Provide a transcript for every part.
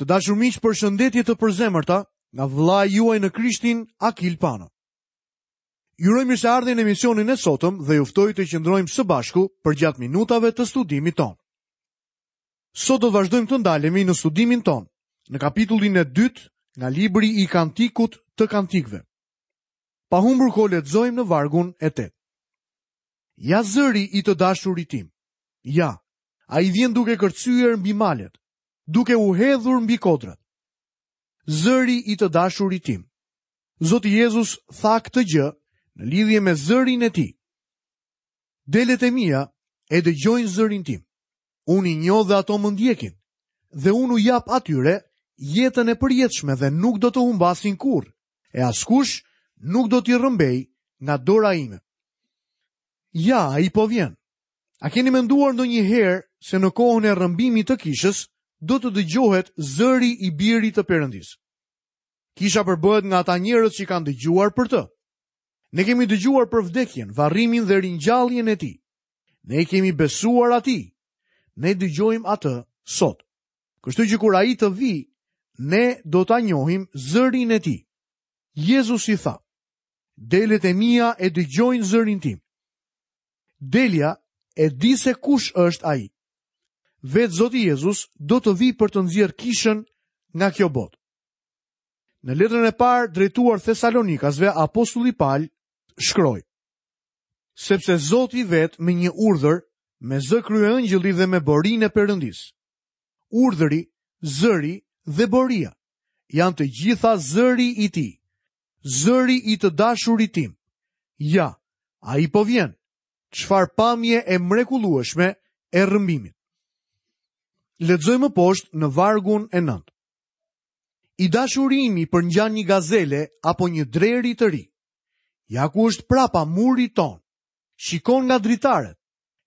Të dashur miq, përshëndetje të përzemërta nga vëllai juaj në Krishtin Akil Pano. Ju uroj mirëseardhjen në emisionin e sotëm dhe ju ftoj të qëndrojmë së bashku përgjatë minutave të studimit tonë. Sot do të vazhdojmë të ndalemi në studimin tonë, në kapitullin e dytë nga libri i Kantikut të Kantikëve. Pa humbur kohë lexojmë në vargun e 8. Ja zëri i të dashurit tim. Ja, ai vjen duke kërcyer mbi malet. duke u hedhur mbi kodrat. Zëri i të dashurit tim. Zoti Jezus tha këtë gjë në lidhje me zërin e tij. Delet e mia e dëgjojnë zërin tim. Unë i njoh dhe ato më ndjekin. Dhe unë u jap atyre jetën e përjetshme dhe nuk do të humbasin kurrë, e askush nuk do t'i rrëmbejë nga dora ime. Ja, ai po vjen. A keni menduar ndonjëherë se në kohën e rrëmbimit të kishës do të dëgjohet zëri i birit të Perëndisë? Kisha përbëhet nga ata njerëz që kanë dëgjuar për të. Ne kemi dëgjuar për vdekjen, varrimin dhe ringjalljen e tij. Ne i kemi besuar atij. Ne dëgjojmë atë sot. Kështu që kur ai të vijë, ne do ta njohim zërin e tij. Jezusi tha: Delet e mia e dëgjojnë zërin tim. Delja e di se kush është ai. Vetë Zoti Jezus do të vijë për të nxjerrë kishën nga kjo botë. Në letrën e parë drejtuar Thesalonikasve, apostulli Pal shkroi: Sepse Zoti vetë me një urdhër, me zë kryeëngjëlli dhe me borinë e Perëndisë. Urdhëri, zëri dhe boria janë të gjitha zëri i tij. Zëri i të dashurit tim. Ja, ai po vjen. Çfarë pamje e mrekullueshme e rrëmbimit. Lexojmë më poshtë në vargun e 9. I dashuri im i përngjan një gazele apo një dreri të ri. Ja ku është prapa murit tonë. Shikon nga dritaret,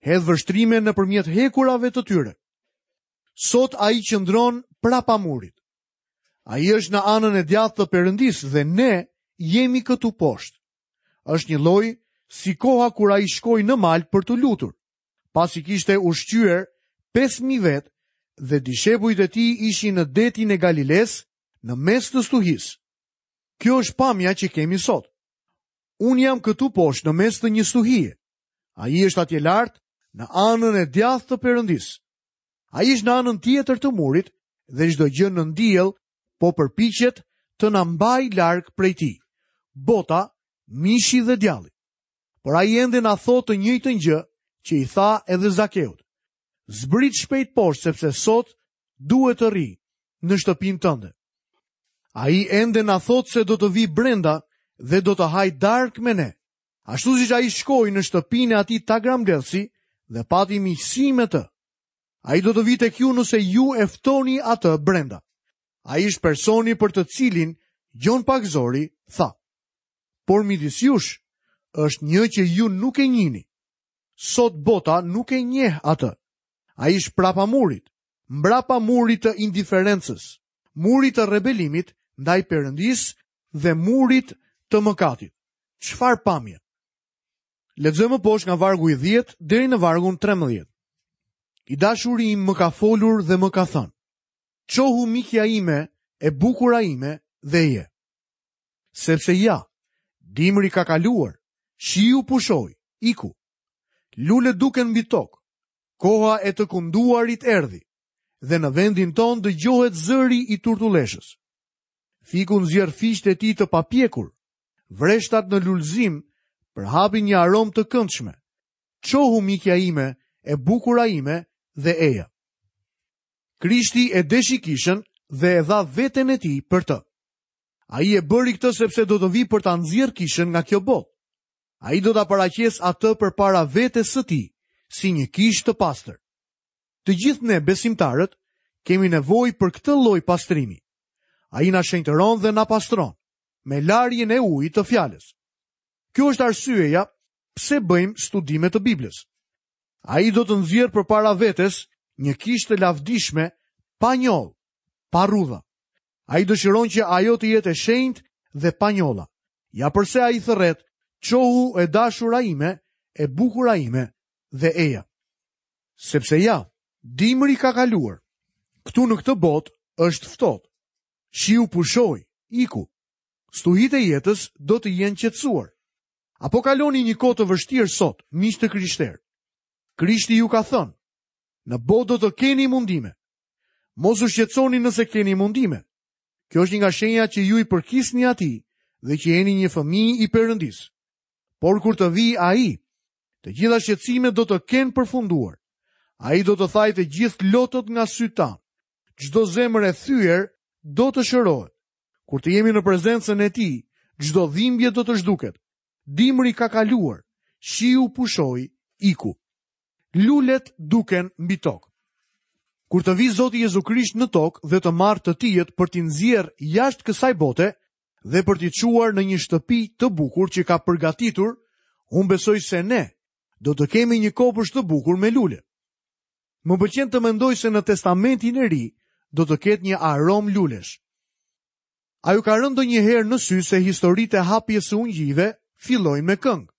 hedh vështrime nëpërmjet hekurave të tyre. Sot ai qëndron prapa murit. Ai është në anën e djathtë të Perëndisë dhe ne jemi këtu poshtë. Është njëlloj si koha kur ai shkoi në mal për t'u lutur, pasi kishte ushqyer 5000 vetë dhe dishepujt e tij ishin në detin e Galilesë në mes të stuhisë. Kjo është pamja që kemi sot. Unë jam këtu poshtë në mes të një stuhie. Ai është atje lart në anën e djathtë të Perëndisë. Ai është në anën tjetër të murit dhe çdo gjë nën diell po përpiqet të na mbajë larg prej tij. Bota, mishi dhe djalli. Por ai ende na thotë të njëjtën gjë që i tha edhe Zakeut. Zbrit shpejt poshtë sepse sot duhet të rri në shtëpinë tënde. Ai ende na thotë se do të vijë brenda dhe do të hajë darkë me ne. Ashtu siç ai shkoi në shtëpinë e atij tagrambledhësi dhe pati miqësi me të. Ai do të vijë tek ju nëse ju e ftoni atë brenda. Ai është personi për të cilin Gjon Pagëzori tha. Por midis jush është një që ju nuk e njihni. Sot bota nuk e njeh atë. Ai është prapa murit, mbrapa murit të indiferencës, murit të rebelimit ndaj Perëndisë dhe murit të mëkatit. Çfarë pamje? Lexojmë më poshtë nga vargu i 10 deri në vargun 13. I dashuri im më ka folur dhe më ka thënë: Çohu mikja ime, e bukura ime dhe eja. Sepse ja, dimri ka kaluar, shiu pushoi, iku. Lulet duken mbi tokë. Koha e të kunduarit erdhi dhe në vendin tonë dëgjohet zëri i turtulleshës. Fiku nxjerr fiqtë e tij të papjekur. Vreshtat në lulëzim përhapin një aromë të këndshme. Çohu mikja ime, e bukura ime dhe eja. Krishti e deshi kishën dhe e dha veten e tij për të. Ai e bëri këtë sepse do të vijë për ta nxjerrë kishën nga kjo botë. Ai do ta paraqesë atë përpara vetes së tij, si një kishë të pastër. Të gjithë ne besimtarët kemi nevojë për këtë lloj pastrimi. Ai na shenjtëron dhe na pastron me larjen e ujit të fjalës. Kjo është arsyeja pse bëjmë studime të Biblës. Ai do të nxjerrë përpara vetes një kishë të lavdishme pa njollë, pa rrudha. Ai dëshiron që ajo të jetë e shenjtë dhe pa njolla. Ja përse ai thërret, çohu e dashura ime, e bukura ime dhe eja. Sepse ja, dimri ka kaluar. Këtu në këtë botë. Është ftohtë. Shiu pushoi, iku. Stuhitë e jetës do të jenë qetësuar. A po kaloni një kohë të vështirë sot, miq të krishterë? Krishti ju ka thënë, në botë do të keni mundime. Mos u shqetësoni nëse keni mundime. Kjo është një nga shenjat që ju i përkisni atij dhe që jeni një fëmijë i Perëndisë. Por kur të vijë ai, të gjitha shqetësimet do të kenë përfunduar. Ai do të thajë të gjithë lotët nga sytë tanë. Çdo zemër e thyer do të shërohet. Kur të jemi në prezencën e tij, çdo dhimbje do të zhduket. Dimri ka kaluar, shiu pushoi, iku. Lulet duken mbi tokë. Kur të vijë Zoti Jezu Krisht në tokë dhe të marrë të tijët për t'i nxjerrë jashtë kësaj bote dhe për t'i çuar në një shtëpi të bukur që ka përgatitur, unë besoj se ne do të kemi një kopësht të bukur me lule. Më pëlqen të mendoj se në Testamentin e Ri do të ketë një aromë lulesh. A ju ka rënë ndonjëherë në sy se historitë e hapjes së ungjijve fillojnë me këngë?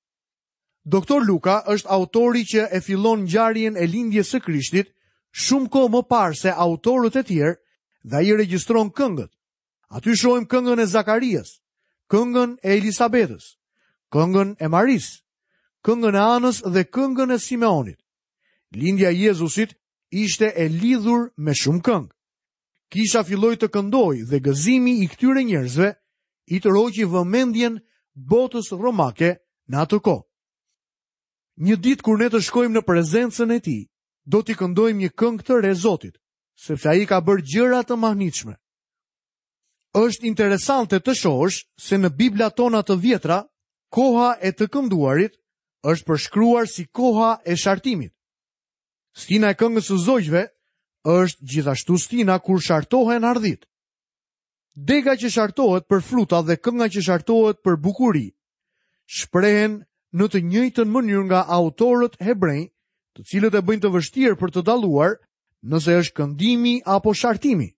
Doktor Luka është autori që e fillon ngjarjen e lindjes së Krishtit shumë kohë më parë se autorët e tjerë dhe ai regjistron këngët. Aty shohim këngën e Zakarias, këngën e Elisabetës, këngën e Marisë, këngën e Anës dhe këngën e Simeonit. Lindja e Jezusit ishte e lidhur me shumë këngë. Kisha filloi të këndojë dhe gëzimi i këtyre njerëzve i tërhoqi vëmendjen botës romake në atë kohë. Një ditë kur ne të shkojmë në prezencën e tij, do t'i këndojmë një këngë të re Zotit, sepse ai ka bërë gjëra të mahnitshme. Është interesante të shohësh se në Biblat tona të vjetra, koha e të kënduarit është përshkruar si koha e shartimit. Stina e këngës së zogjve është gjithashtu stina kur shartohen hardhitë. Dega që shartohet për fruta dhe kënga që shartohet për bukuri, shprehen në të njëjtën mënyrë nga autorët hebrenj, të cilët e bëjnë të vështirë për të dalluar nëse është këndimi apo shartimi.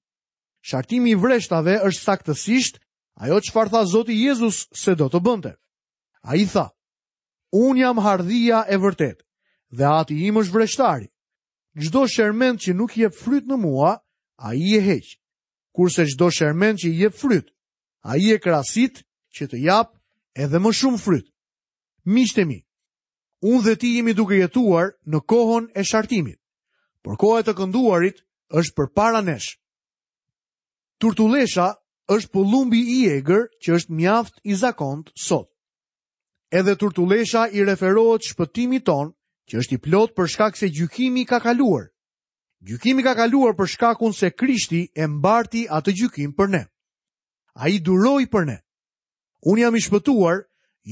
Shartimi i vreshtave është saktësisht ajo çfarë tha Zoti Jezus se do të bënte. Ai tha, Unë jam hardhia e vërtetë dhe ati im është vreshtari. Çdo shermend që nuk jep fryt në mua, ai e heq. Kurse çdo shermend që jep fryt, ai e krasit që të japë edhe më shumë fryt. Miqtë e mi, unë dhe ti jemi duke jetuar në kohën e shartimit, por koha e të kënduarit është përpara nesh. Turtullesha është pëllumbi i egër që është mjaft i zakontë sot. Edhe turtullesha i referohet shpëtimit tonë, që është i plotë për shkak se gjykimi ka kaluar. Gjykimi ka kaluar për shkakun se Krishti e mbarti atë gjykim për ne. Ai duroi për ne. Unë jam i shpëtuar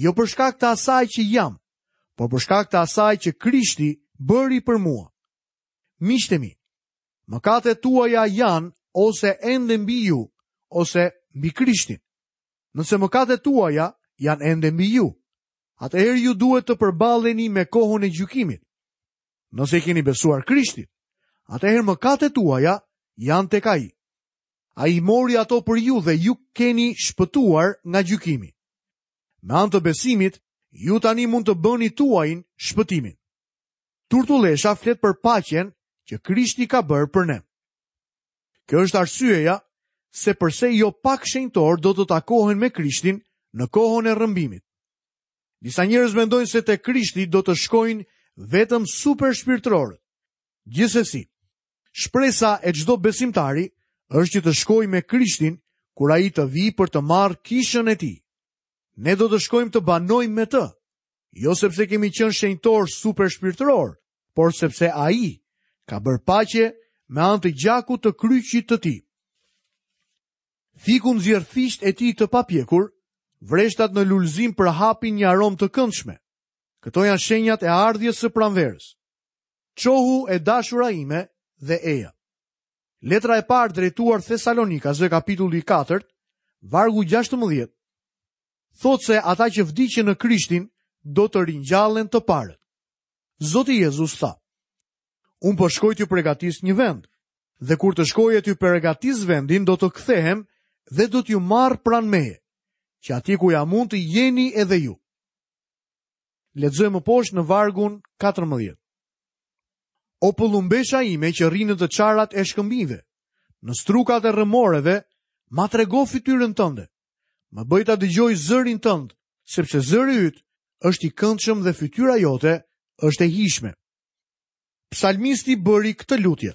jo për shkak të asaj që jam, por për shkak të asaj që Krishti bëri për mua. Miqtë e mi, mëkatet tuaja janë ose ende mbi ju, ose mbi Krishtin. Nëse mëkatet tuaja janë ende mbi ju, atëherë ju duhet të përballeni me kohën e gjykimit. Nëse i keni besuar Krishtit, atëherë mëkatet tuaja janë tek ai. Ai i mori ato për ju dhe ju keni shpëtuar nga gjykimi. Me anë të besimit, ju tani mund të bëni tuajin shpëtimin. Turtullesha flet për paqen që Krishti ka bërë për ne. Kjo është arsyeja se përse jo pak shenjtorë do të takohen me Krishtin në kohën e rrëmbimit. Disa njerëz mendojnë se te Krishti do të shkojnë vetëm supershpirtërorët. Gjithsesi, shpresa e çdo besimtari është që të shkojë me Krishtin kur ai të vijë për të marrë kishën e tij. Ne do të shkojmë të banojmë me të, jo sepse kemi qenë shenjtorë supershpirtërorë, por sepse ai ka bërë paqe me anë të gjakut të kryqit të tij. Fiku nxjerr fiqtë e tij të papjekur, vreshtat në lulëzim përhapin një aromë të këndshme. Këto janë shenjat e ardhjes së pranverës. Çohu e dashura ime dhe eja. Letra e parë drejtuar Thesalonikasve kapitulli 4, vargu 16, thotë se ata që vdiqën në Krishtin do të ringjallen të parët. Zoti Jezus tha, Unë po shkoj t'ju pregatis një vend, dhe kur të shkoj e t'ju pregatis vendin, do të kthehem dhe do t'ju marr pranë meje, që atje ku jam unë të jeni edhe ju. Lexojmë më poshtë në vargun 14. O pëllumbesha ime që rri në të çarat e shkëmbinjve, Në strukat e rrëmoreve, ma trego fytyrën tënde. Më bëj ta dëgjoj zërin tënd, sepse zëri yt është i këndshëm dhe fytyra jote është e hijshme. Psalmisti bëri këtë lutje.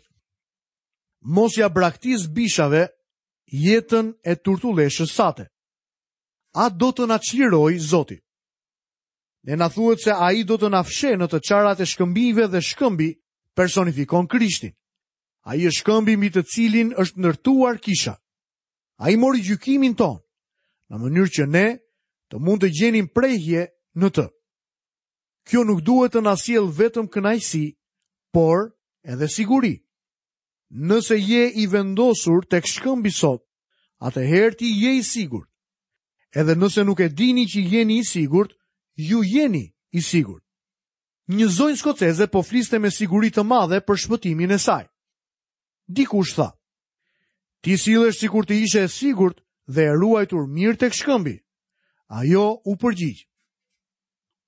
Mos ia braktis bishave jetën e turtulleshës sate. A do të na çlirojë Zoti? Ne na thuhet se ai do të na fshehë në të çarat e shkëmbinjve dhe shkëmbi personifikon Krishtin. Ai është shkëmbi mbi të cilin është ndërtuar kisha. Ai mori gjykimin tonë, në mënyrë që ne të mund të gjenim prehje në të. Kjo nuk duhet të na sjellë vetëm kënaqësi, por edhe siguri. Nëse je i vendosur tek shkëmbi sot, atëherë ti je i sigurt. Edhe nëse nuk e dini që jeni i sigurt, ju jeni i sigurt. Një zonjë skoceze po fliste me siguri të madhe për shpëtimin e saj. Dikush tha, ti sillesh sikur të ishe e sigurt dhe e ruajtur mirë tek shkëmbi. Ajo u përgjigj.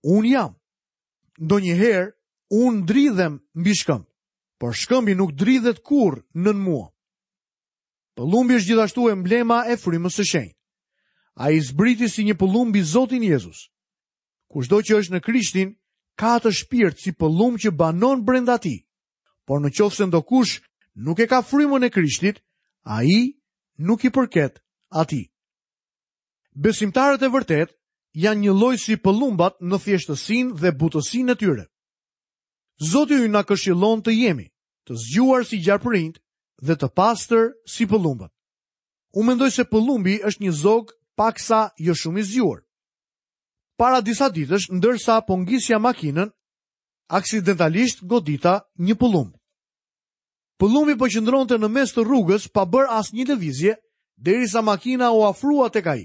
Unë jam. Ndonjëherë, unë dridhem mbi shkëmb, por shkëmbi nuk dridhet kurrë nën mua. Pëllumbi është gjithashtu emblema e frymës së shenjtë. Ai zbriti si një pëllumb mbi Zotin Jezus. Kushdo që është në Krishtin, ka atë shpirt si pëllumb që banon brenda tij. Por në qoftë se ndokush nuk e ka frymën e Krishtit, ai nuk i përket atij. Besimtarët e vërtetë janë njëlloj si pëllumbat në thjeshtësinë dhe butësinë e tyre. Zoti ynë na këshillon të jemi të zgjuar si gjarpërinjtë dhe të pastër si pëllumbat. Unë mendoj se pëllumbi është një zog paksa jo shumë i zgjuar. Para disa ditësh, ndërsa po ngisja makinën, aksidentalisht godita një pëllumb. Pëllumbi po qëndronte në mes të rrugës pa bërë asnjë lëvizje, derisa makina u afrua tek ai.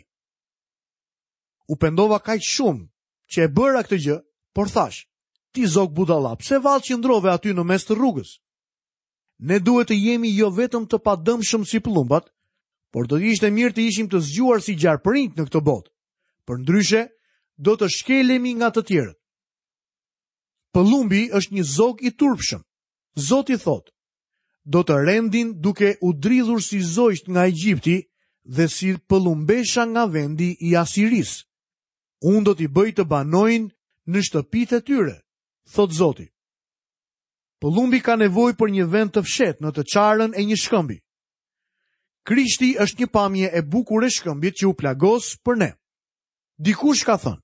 U pendova kaq shumë që e bëra këtë gjë, por thashë, ti zog budalla, pse vallë qëndrove aty në mes të rrugës? Ne duhet të jemi jo vetëm të padëmshëm si pëllumbat, por do të ishte mirë të ishim të zgjuar si gjarpërinjtë në këtë botë. Përndryshe, do të shkelemi nga të tjerët. Pëllumbi është një zog i turpshëm. Zoti thotë, do të rendin duke u dridhur si zogjtë nga Egjipti dhe si pëllumbesha nga vendi i Asirisë. Unë do t'i bëj të banojnë në shtëpitë e tyre, thotë Zoti. Pëllumbi ka nevojë për një vend të fshehtë në të çarën e një shkëmbi. Krishti është një pamje e bukur e shkëmbit që u plagos për ne. Dikush ka thënë,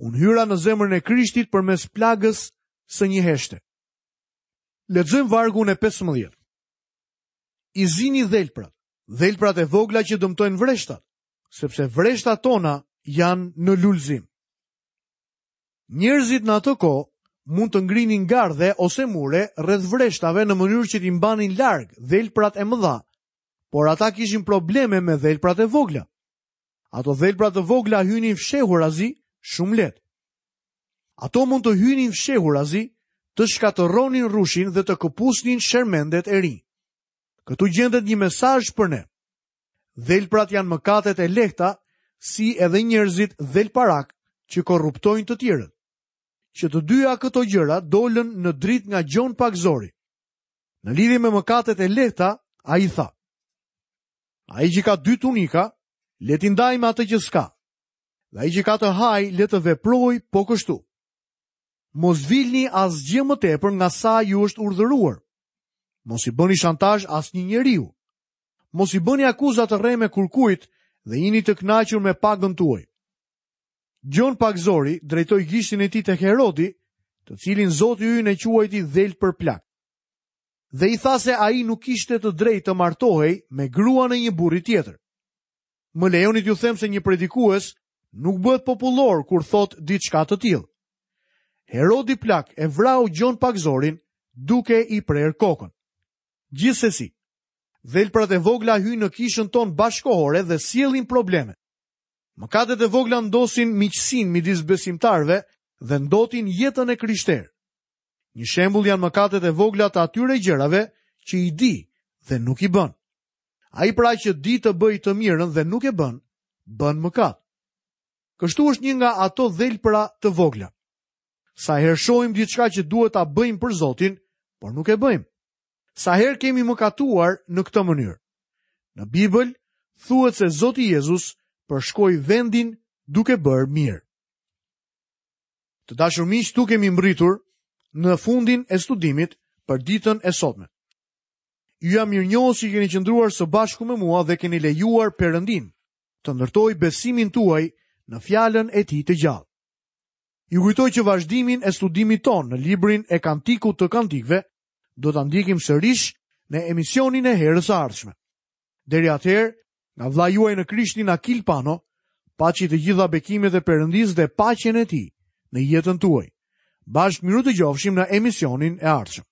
unë hyra në zemrën e Krishtit përmes plagës së një heshte. Lexojmë vargun e 15. I zini dhelprat, dhelprat e vogla që dëmtojnë vreshtat, sepse vreshtat tona janë në lulëzim. Njerëzit në atë kohë mund të ngrinin gardhe ose mure rreth vreshtave në mënyrë që t'i mbanin larg dhelprat e mëdha, por ata kishin probleme me dhelprat e vogla. Ato dhelpra të vogla hynin fshehurazi shumë lehtë. Ato mund të hynin fshehurazi, të shkatërronin rrushin dhe të këpusnin shermendet e rinj. Këtu gjendet një mesazh për ne. Dhelprat janë mëkatet e lehta, si edhe njerëzit dhelparakë që korruptojnë të tjerët. Që të dyja këto gjëra dolën në dritë nga Gjon Pagëzori. Në lidhje me mëkatet e lehta, ai tha: Ai që ka dy tunika, le t'i ndajë me atë që s'ka. Dhe ai që ka të hajë, le të veprojë po kështu. Mos vilni asgjë më tepër nga sa ju është urdhëruar. Mos i bëni shantazh asnjë njeriu. Mos i bëni akuza të rreme kurkujt dhe jini të kënaqur me pagën tuaj. Gjon Pagëzori drejtoi gishtin e tij tek Herodi, të cilin Zoti ynë e quajti dhelpër plak. Dhe i tha se ai nuk kishte të drejtë të martohej me gruan e një burri tjetër. Më lejoni t'ju them se një predikues nuk bëhet popullor kur thotë diçka të tillë. Herodi plak e vrau Gjon Pagëzorin duke i prerë kokën. Gjithsesi, dhelprat e vogla hyjnë në kishën tonë bashkëkohore dhe sjellin probleme. Mëkatet e vogla ndotin miqësinë midis besimtarëve dhe ndotin jetën e krishterë. Një shembull janë mëkatet e vogla të atyre gjërave që i di dhe nuk i bën. Ai pra që di të bëjë të mirën dhe nuk e bën, bën mëkat. Kështu është një nga ato dhelpra të vogla. Sa herë shohim diçka që duhet ta bëjmë për Zotin, por nuk e bëjmë. Sa herë kemi mëkatuar në këtë mënyrë. Në Bibël thuhet se Zoti Jezus përshkoi vendin duke bërë mirë. Të dashur miq, këtu kemi mbërritur në fundin e studimit për ditën e sotme. Ju jam mirënjohës që keni qëndruar së bashku me mua dhe keni lejuar Perëndinë të ndërtojë besimin tuaj në fjalën e tij të gjallë. Ju kujtoj që vazhdimin e studimit tonë në librin e Kantikut të Kantikëve do ta ndjekim sërish në emisionin e herës së ardhshme. Deri atëherë, nga vëllai juaj në Krishtin Akil Pano, paçi të gjitha bekimet e Perëndisë dhe paqen e tij në jetën tuaj. Bashkë mirudëgjofshim në emisionin e ardhshëm.